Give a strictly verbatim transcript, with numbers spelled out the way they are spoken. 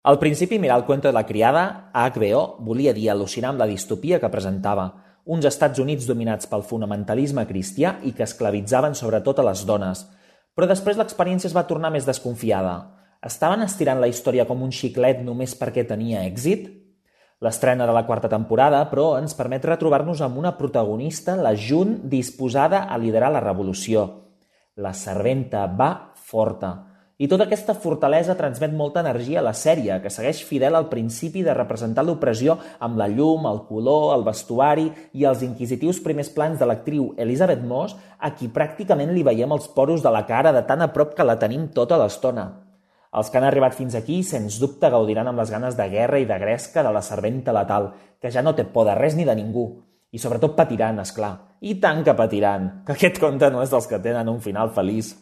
Al principi, mirar el cuento de la criada, a H B O, volia dir al·lucinar amb la distopia que presentava, uns Estats Units dominats pel fonamentalisme cristià i que esclavitzaven sobretot a les dones. Però després l'experiència es va tornar més desconfiada. Estaven estirant la història com un xiclet només perquè tenia èxit? L'estrena de la quarta temporada, però, ens permet retrobar-nos amb una protagonista, la June, disposada a liderar la revolució. La serventa va forta. I tota aquesta fortalesa transmet molta energia a la sèrie, que segueix fidel al principi de representar l'opressió amb la llum, el color, el vestuari i els inquisitius primers plans de l'actriu Elisabeth Moss, a qui pràcticament li veiem els poros de la cara de tan a prop que la tenim tota l'estona. Els que han arribat fins aquí, sens dubte, gaudiran amb les ganes de guerra i de gresca de la serventa letal, que ja no té por de res ni de ningú. I sobretot patiran, és clar. I tant que patiran, que aquest conte no és dels que tenen un final feliç.